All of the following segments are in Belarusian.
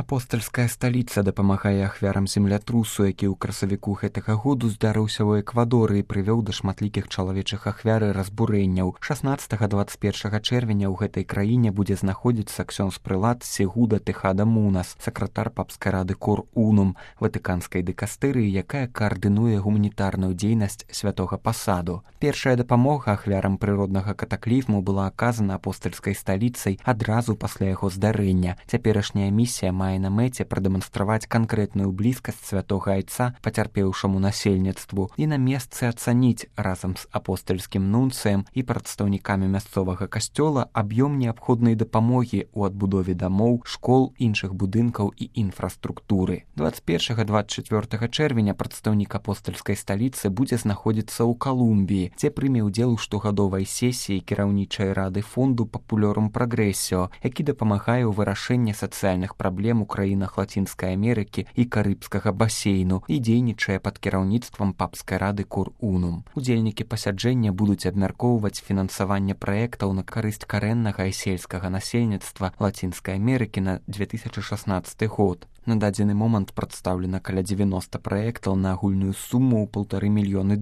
Апостальская сталіца дапамагае ахвярам землятрусу, які ў красавіку гэтага году здарыўся ў Эквадоры і прывёў да шматлікіх чалавечых ахвяр і разбурэнняў. 16-21 чэрвеня ў гэтай краіне будзе знаходзіцца ксёндз прылад Сегуда Тэхада Мунас, сакратар папскай рады Кор Унум, ватыканскай дыкастырыі, якая каардынуе гуманітарную дзейнасць святога пасаду. Першая дапамога ахвярам прыроднага катаклізму была аказана апостальскай сталіцай адразу пасля яго здарэння. Цяперашняя місія мае на мэце прадэманстраваць канкрэтную блізкасць святога айца пацярпеўшаму насельніцтву і на месцы ацаніць разам з апостальскім нунцыем і прадстаўнікамі мясцовага касцёла аб'ём неабходнай дапамогі ў адбудове дамоў, школ, іншых будынкаў і інфраструктуры. 21-24 чэрвеня прадстаўнік апостальскай сталіцы будзе знаходзіцца ў Калумбіі, дзе прыме ўдзел у штогадовай сесіі кіраўнічай рады фонду Папулёрум Прагрэсіо, які дапамагае ў вырашэнні сацыяльных праблем у краінах Лацінскай Амерыкі і Карыбскага басейну і дзейнічае пад кіраўніцтвам папскай рады Кор Унум. Удзельнікі пасяджэння будуць абмяркоўваць фінансаванне праектаў на карысць карэннага і сельскага насельніцтва Лацінскай Амерыкі на 2016 год. На дадзены момант прадстаўлена каля 90 праектаў на агульную суму ў $1,5 мільёны.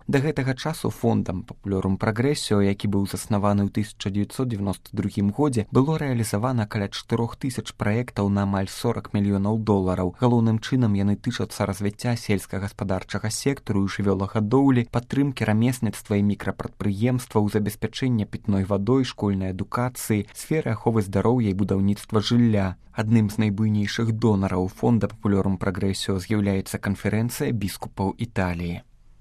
Да гэтага часу фондам Папулёрум Прагрэсіо, які быў заснаваны ў 1992 годзе, было рэалізавана каля 4000 праектаў на амаль $40 мільёнаў. Галоўным чынам яны тычацца развіцця сельскагаспадарчага сектару і жывёлагадоўлі, падтрымкі рамесніцтва і мікрапрадпрыемстваў, забеспячэння пітной вадой, школьнай адукацыі, сферы аховы здароўя і будаўніцтва жылля. Адным з найбуйнейшых донараў фонда Папулёрум Прагрэсіо з'яўляецца канферэнцыя біскупаў Італіі.